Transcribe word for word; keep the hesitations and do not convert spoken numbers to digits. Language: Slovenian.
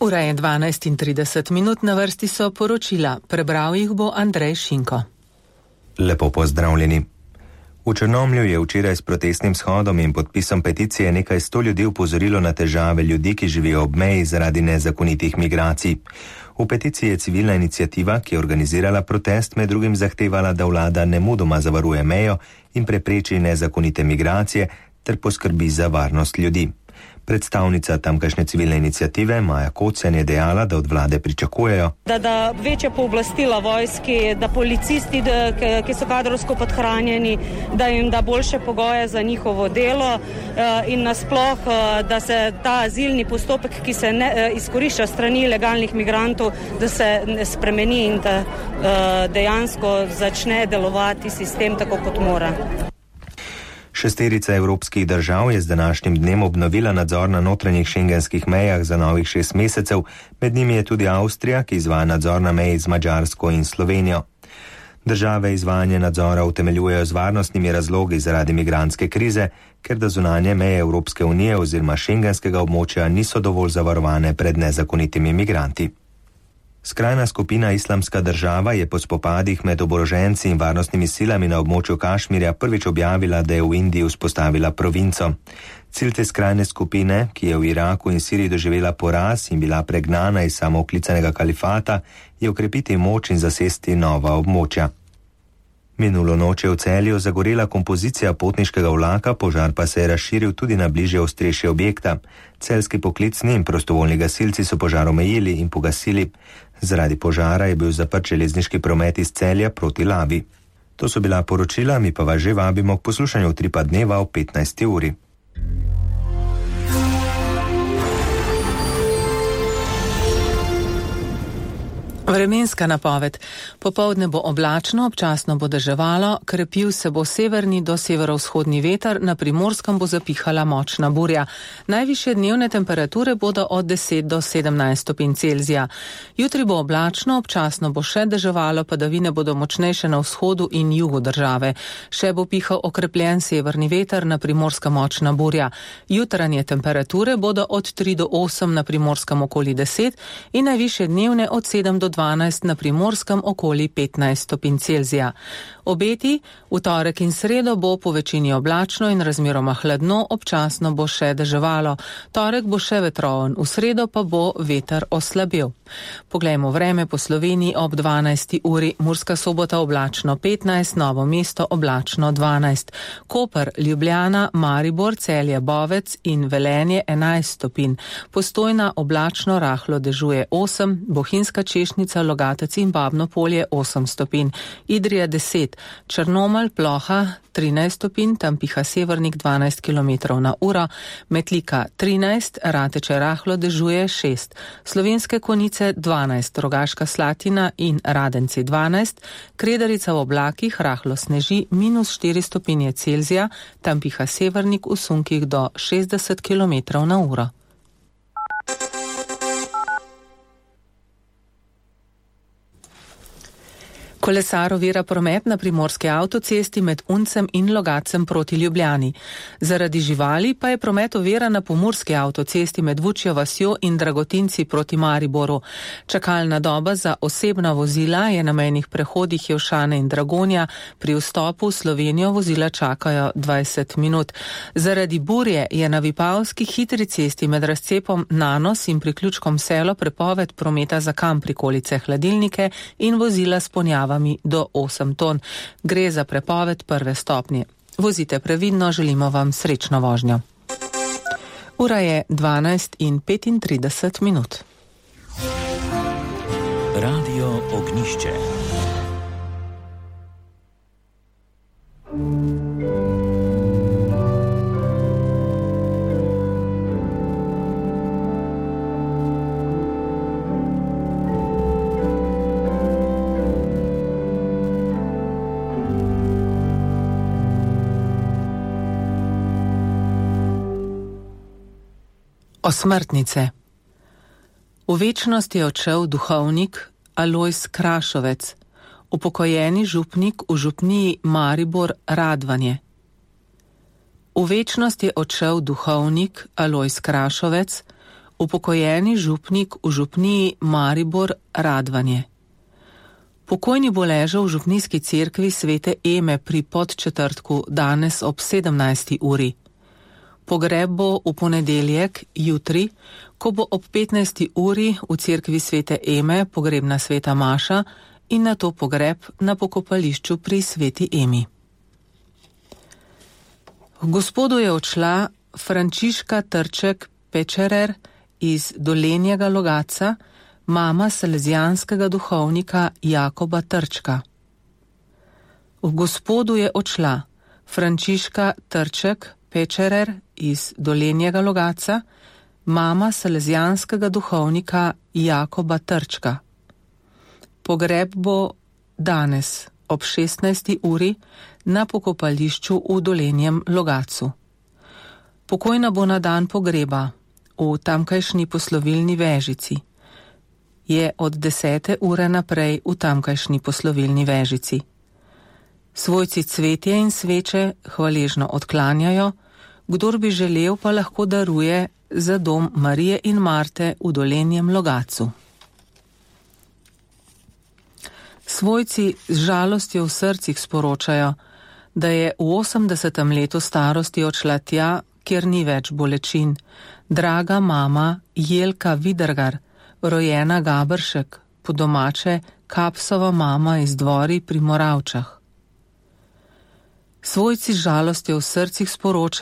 Ura je dvanajst in trideset minut, na vrsti so poročila. Prebral jih bo Andrej Šinko. Lepo pozdravljeni. V Črnomlju je včeraj s protestnim shodom in podpisom peticije nekaj sto ljudi upozorilo na težave ljudi, ki živijo ob meji zaradi nezakonitih migracij. V peticiji je civilna iniciativa, ki je organizirala protest, med drugim zahtevala, da vlada nemudoma zavaruje mejo in prepreči nezakonite migracije ter poskrbi za varnost ljudi. Predstavnica tamkajšnje civilne iniciative Maja Kocen je dejala, da od vlade pričakujejo, da, da večja pooblastila vojski, da policisti, da, ki so kadrovsko podhranjeni, da jim da boljše pogoje za njihovo delo in nasploh, da se ta azilni postopek, ki se ne, izkorišča strani ilegalnih migrantov, da se spremeni in da dejansko začne delovati sistem tako, kot mora. Šesterica evropskih držav je z današnjim dnem obnovila nadzor na notranjih šengenskih mejah za novih šest mesecev, med njimi je tudi Avstrija, ki izvaja nadzor na meji z Madžarsko in Slovenijo. Države izvajanje nadzora utemeljujejo z varnostnimi razlogi zaradi migrantske krize, ker da zunanje meje Evropske unije oziroma šengenskega območja niso dovolj zavarovane pred nezakonitimi migranti. Skrajna skupina Islamska država je po spopadih med oboroženci in varnostnimi silami na območju Kašmirja prvič objavila, da je v Indiji vzpostavila provinco. Cilj te skrajne skupine, ki je v Iraku in Siriji doživela poraz in bila pregnana iz samooklicanega kalifata, je okrepiti moč in zasesti nova območja. Minulo noč je v Celju zagorela kompozicija potniškega vlaka, požar pa se je razširil tudi na bližje ostrešje objekta. Celjski poklicni in prostovoljni gasilci so požar omejili in pogasili. Zaradi požara je bil zaprt železniški promet iz Celja proti Lavi. To so bila poročila, mi pa vas že vabimo k poslušanju Utripa dneva ob petnajsti uri. Vremenska napoved. Popoldne bo oblačno, občasno bo deževalo, krepil se bo severni do severovzhodni veter, na Primorskem bo zapihala močna burja. Najvišje dnevne temperature bodo od deset do sedemnajst stopinj Celzija. Jutri bo oblačno, občasno bo še deževalo, padavine bodo močnejše na vzhodu in jugu države. Še bo pihal okrepljen severni veter, na Primorskem močna burja. Jutranje temperature bodo od tri do osem, na Primorskem okoli deset in najvišje dnevne od sedem do dvanajst, na Primorskem okoli petnajst stopinj Celzija. Obeti, v torek in sredo bo po večini oblačno in razmeroma hladno, občasno bo še deževalo. Torek bo še vetroven, v sredo pa bo veter oslabel. Poglejmo vreme po Sloveniji ob dvanajsti uri. Murska Sobota oblačno petnajst, Novo mesto oblačno dvanajst. Koper, Ljubljana, Maribor, Celje, Bovec in Velenje enajst stopinj. Postojna oblačno rahlo dežuje osem, Bohinjska Češnjica, Logatec in Babno Polje osem stopinj. Idrija deset, Črnomelj, Ploha trinajst stopinj, tam piha severnik dvanajst kilometrov na uro, Metlika trinajst, Rateče rahlo dežuje šest, Slovenske Konjice dvanajst, Rogaška Slatina in Radenci dvanajst, Kredarica v oblakih rahlo sneži minus štiri stopinje Celzija, tam piha severnik v sunkih do šestdeset kilometrov na uro. Kolesar ovira promet na primorski avtocesti med Uncem in Logatcem proti Ljubljani. Zaradi živali pa je promet ovira na pomurski avtocesti med Vučjo vasjo in Dragotinci proti Mariboru. Čakalna doba za osebna vozila je na mejnih prehodih Jevšane in Dragonja, pri vstopu v Slovenijo vozila čakajo dvajset minut. Zaradi burje je na Vipavski hitri cesti med razcepom Nanos in priključkom Selo prepoved prometa za kam prikolice, hladilnike in vozila s ponjavami do osem ton. Gre za prepoved prve stopnje. Vozite previdno, želimo vam srečno vožnjo. Ura je dvanajst in petintrideset minut. Radio Ognišče. Osmrtnice. V večnost je odšel duhovnik Alojz Krašovec, upokojeni župnik v župniji Maribor Radvanje. V večnost je odšel duhovnik Alojz Krašovec, upokojeni župnik v župniji Maribor Radvanje. Pokojni bo ležal v župnijski cerkvi Svete Eme pri Podčetrtku danes ob sedemnajsti uri. Pogreb bo v ponedeljek, jutri, ko bo ob petnajsti uri v cerkvi Svete Eme pogrebna sveta maša in nato pogreb na pokopališču pri Sveti Emi. V Gospodu je odšla Frančiška Trček Pečerer iz Dolenjega Logatca, mama salezijanskega duhovnika Jakoba Trčka. V Gospodu je odšla Frančiška Trček Pečerer iz Dolenjega Logatca, mama salezijanskega duhovnika Jakoba Trčka. Pogreb bo danes ob šestnajsti uri na pokopališču v Dolenjem Logatcu. Pokojna bo na dan pogreba v tamkajšnji poslovilni Vežici. Je od desete ure naprej v tamkajšnji poslovilni Vežici. Svojci cvetje in sveče hvaležno odklanjajo, kdor bi želel, pa lahko daruje za dom Marije in Marte v Dolenjem Logatcu. Svojci z žalostjo v srcih sporočajo, da je v osemdesetem letu starosti odšla tja, kjer ni več bolečin, draga mama Jelka Vidergar, rojena Gabršek, po domače Kapsova mama iz Dvori pri Moravčah. Svojci z žalostjo v srcih sporočajo,